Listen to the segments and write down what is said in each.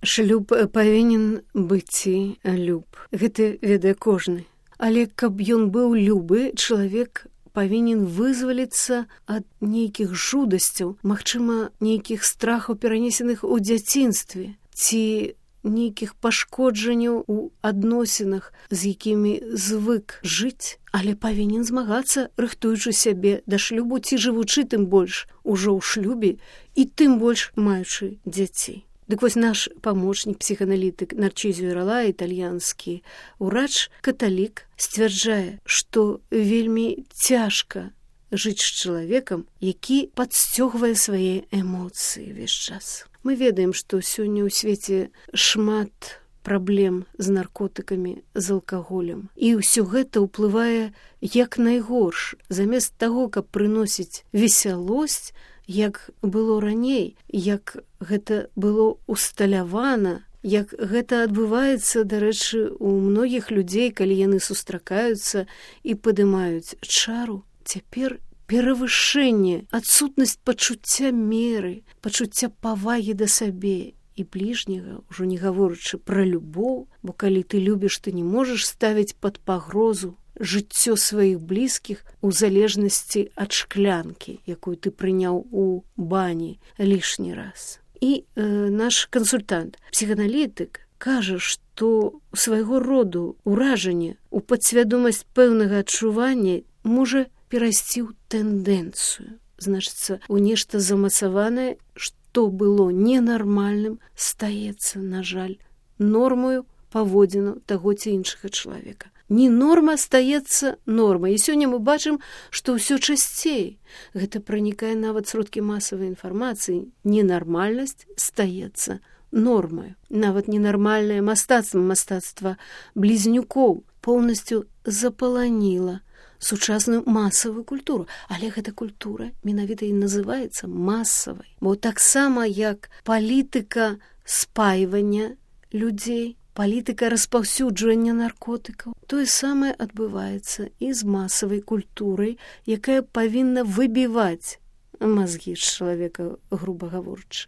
Шлюб павінен быць люб. Гэта ведае кожны. Але каб ён быў любы, чалавек павінен вызваліцца ад нейкіх жудасцяў, магчыма, нейкіх страхаў, перанесеных у дзяцінстве, ці нейкіх пашкоджанняў у адносінах, з якімі звык жыць, але павінен змагацца, рыхтуючы сябе да шлюбу, ці жывучы тым больш ужо ў шлюбе і тым больш маючы дзяцей. Дык вось наш памочнік, псіханалітык Нарцізіо Рала, італьянскі ўрач, каталік, сцвярджае, што вельмі цяжка жыць з чалавекам, які падсцёгвае свае эмоцыі ўвесь час. Мы ведаем, што сёння ў свеце шмат праблем з наркотыкамі, з алкаголем. І ўсё гэта ўплывае як найгорш. Замест таго, каб прыносіць весялосць, як было раней, як гэта было усталявана, як гэта адбываецца, дарэчы, у многіх людзей, калі яны сустракаюцца і падымаюць чару, цяпер перавышэнне, адсутнасць пачуцця меры, пачуцця павагі да сабе і бліжняга, ужо не гаворачы пра любоў, бо калі ты любіш, ты не можаш ставіць пад пагрозу жыццё сваіх блізкіх у залежнасці ад шклянкі, якую ты прыняў у бані лішні раз. І наш кансультант, псіханалітык, кажа, што у свайго роду ўражанне, у падсвядомасць пэўнага адчування можа перайсці ў тэндэнцыю. Значыцца, у нешта замацаванае, што было ненармальным, стаецца, на жаль, нормаю паводзіну таго ці іншага чалавека. Не норма стаецца нормай. І сёння мы бачым, што ўсё часцей. Гэта пранікае нават сродкі масавай інфармацыі. Ненармальнасць стаецца нормаю. Нават ненармальнае мастацтва блізнюкоў поўнасцю запаланіла сучасную масавую культуру. Але гэта культура менавіта і называецца масавай. Бо таксама як палітыка спайвання людзей, палітыка распаўсюджвання наркотыкаў, тое самае адбываецца і з масавай культурай, якая павінна выбіваць мазгі з чалавека, груба гаворачы.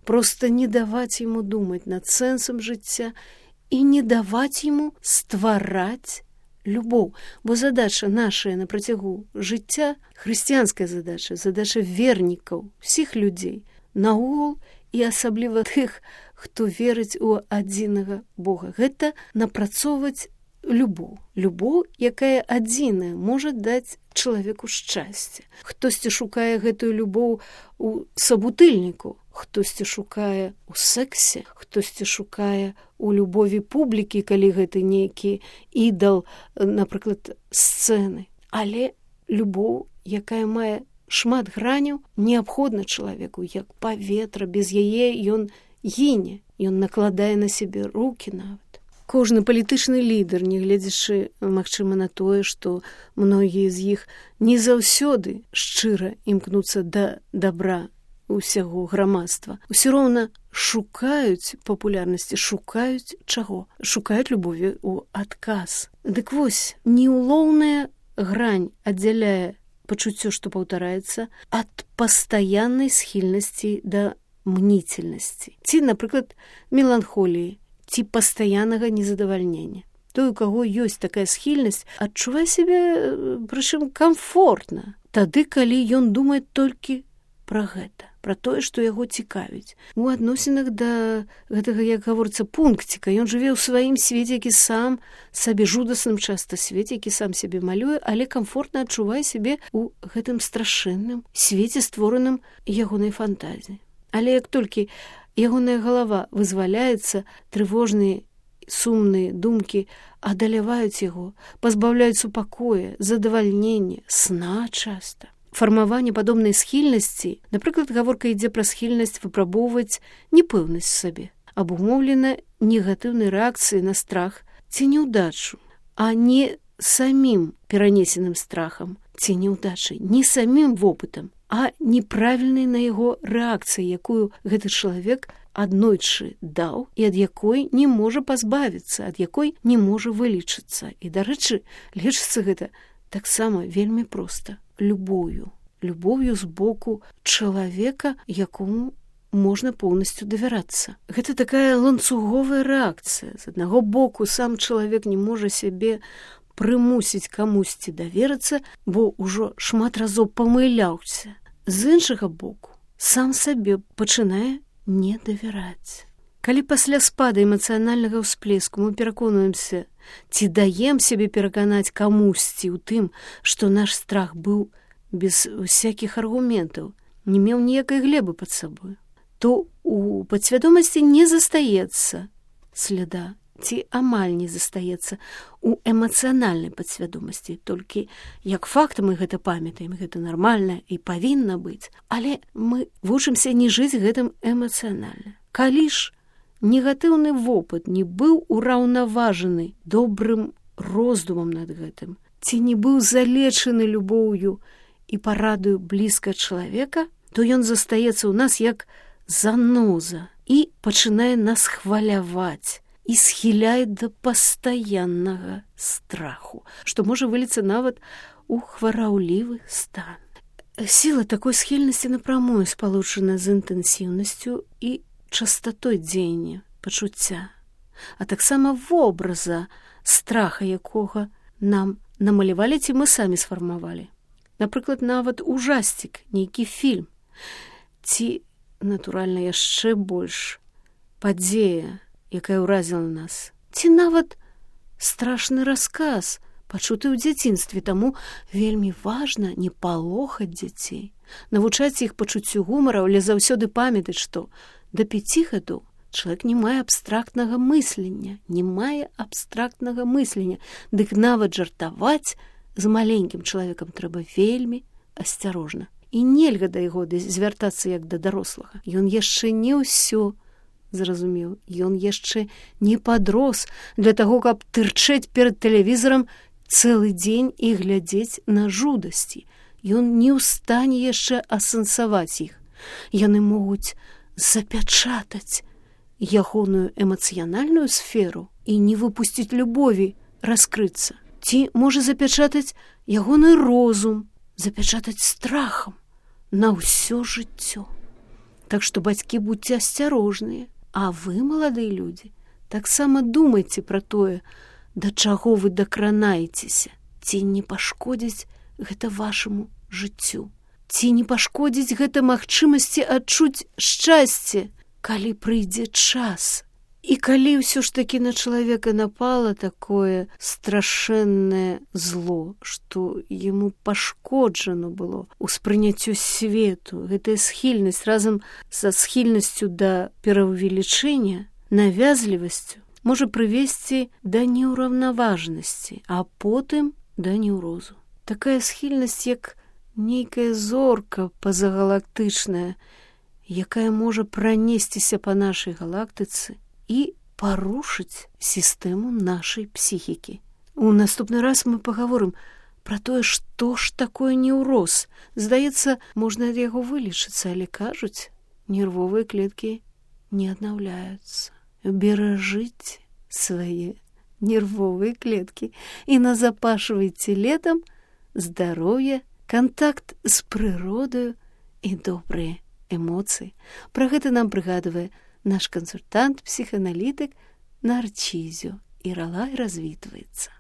Проста не даваць яму думаць над сэнсам жыцця і не даваць яму ствараць любоў. Бо задача нашая на працягу жыцця, хрысціянская задача, задача вернікаў, усіх людзей, наогул і асабліва тых, хто верыць у адзінага Бога. Гэта напрацоўваць любоў. Любоў, якая адзіная, можа даць чалавеку шчасце. Хтосьці шукае гэтую любоў у сабутыльніку, хтосьці шукае у сексе, хтосьці шукае у любові публікі, калі гэта нейкі ідал, напрыклад, сцэны. Але любоў, якая мае шмат граняў, неабходна чалавеку, як паветра. Без яе ён гіне, ён накладае на сябе рукі нават. Кожны палітычны лідар, нягледзячы, магчыма, на тое, што многія з іх не заўсёды шчыра імкнуцца да дабра усяго грамадства, усё роўна шукаюць папулярнасці, шукаюць чаго? Шукаюць любові ў адказ. Дык вось, неулоўная грань аддзяляе пачуццё, што паўтараецца, ад пастаяннай схільнасці да мнительнасці. Ці, напрыклад, меланхоліі, ці пастаяннага незадавальнення. Той, у каго ёсць такая схільнасць, адчувае сябе, прычым, камфортна. Тады, калі ён думае толькі пра гэта, пра тое, што яго цікавіць. У адносінах да гэтага, як гаворыцца, пункціка. Ён жыве ў сваім свеце, які сам сабе жудасным часта свеце, які сам сябе малюе, але камфортна адчувае сябе ў гэтым страшэнным свеце, створаным ягонай фантазіяй. Але як толькі ягоная галава вызваляецца, трывожныя, сумныя думкі адаляваюць яго, пазбаўляюць супакоя, задавальнення, сна часта. Фармаванне падобнай схільнасці, напрыклад, гаворка ідзе пра схільнасць выпрабоўваць непэўнасць сабе, абумоўлена негатыўнай рэакцыяй на страх ці няўдачу, а не самім перанесеным страхам ці няўдачай, не самім вопытам, а неправільнай на яго рэакцыі, якую гэты чалавек аднойчы даў і ад якой не можа пазбавіцца, ад якой не можа вылечыцца. І, дарэчы, лечыцца гэта таксама вельмі проста любоўю. Любоўю з боку чалавека, якому можна поўнасцю давярацца. Гэта такая ланцуговая рэакцыя. З аднаго боку, сам чалавек не можа сябе прымусіць камусьці даверыцца, бо ўжо шмат разоў памыляўся. З іншага боку, сам сабе пачынае не давяраць. Калі пасля спада эмацыянальнага ўсплеску мы пераконваемся, ці даем сябе пераканаць камусьці ў тым, што наш страх быў без усякіх аргументаў, не меў ніякай глебы пад сабой, то у падсвядомасці не застаецца следа, ці амаль не застаецца у эмацыянальнай падсвядомасці. Толькі як факт мы гэта памятаем, гэта нармальна і павінна быць, але мы вучымся не жыць гэтым эмацыянальна. Калі ж негатыўны вопыт не быў ураўнаважаны добрым роздумам над гэтым, ці не быў залечаны любоўю і парадаю блізка чалавека, то ён застаецца ў нас як заноза і пачынае нас хваляваць і схіляе да пастаяннага страху, што можа выліцца нават у хвараўлівы стан. Сіла такой схільнасці напрамую спалучана з інтэнсіўнасцю і частатой дзеяння, пачуцця, а таксама вобраза страха, якога нам намалявалі ці мы самі сфармавалі. Напрыклад, нават ужасцік, нейкі фільм, ці, натуральна, яшчэ больш падзея, якая ўразіла нас, ці нават страшны расказ, пачуты ў дзяцінстве, таму вельмі важна не палохаць дзяцей, навучаць іх пачуццю гумара, але заўсёды памятаць, што да 5 гадоў чалавек не мае абстрактнага мыслення, дык нават жартаваць з маленькім чалавекам трэба вельмі асцярожна. І нельга да яго звяртацца як да дарослага. Ён яшчэ не ўсё зразумеў, ён яшчэ не падрос для таго, каб тырчэць перад тэлевізарам цэлы дзень і глядзець на жудасці. Ён не ў стане яшчэ асэнсаваць іх. Яны могуць запячатаць ягоную эмацыянальную сферу і не выпусціць любові раскрыцца. Ці можа запячатаць ягоны розум, запячатаць страхам на ўсё жыццё. Так што, бацькі, будьце асцярожныя, а вы, маладыя людзі, таксама думайце пра тое, да чаго вы дакранаецеся, ці не пашкодзіць гэта вашаму жыццю, ці не пашкодзіць гэта магчымасці адчуць шчасце, калі прыйдзе час. І калі ўсё ж такі на чалавека напала такое страшэннае зло, што яму пашкоджано было ўспрыняццю свету, гэтая схільнасць разам са схільнасцю да пераўвелічэння, навязлівасцю, можа прывесці да неўраўнаважнасці, а потым да неўрозу. Такая схільнасць, як нейкая зорка пазагалактычная, якая можа пранесціся па нашай галактыцы і парушыць сістэму нашай псіхікі. У наступны раз мы пагаворым пра тое, што ж такое неўроз. Здаецца, можна ад яго вылечыцца, але кажуць, нервовыя клеткі не аднаўляюцца. Беражыце свае нервовыя клеткі і назапашвайце летам здароўе, кантакт з прыродаю і добрыя эмоцыі. Пра гэта нам прыгадвае наш кансультант, псіхааналітык Нарцізіо Іралай развітваецца.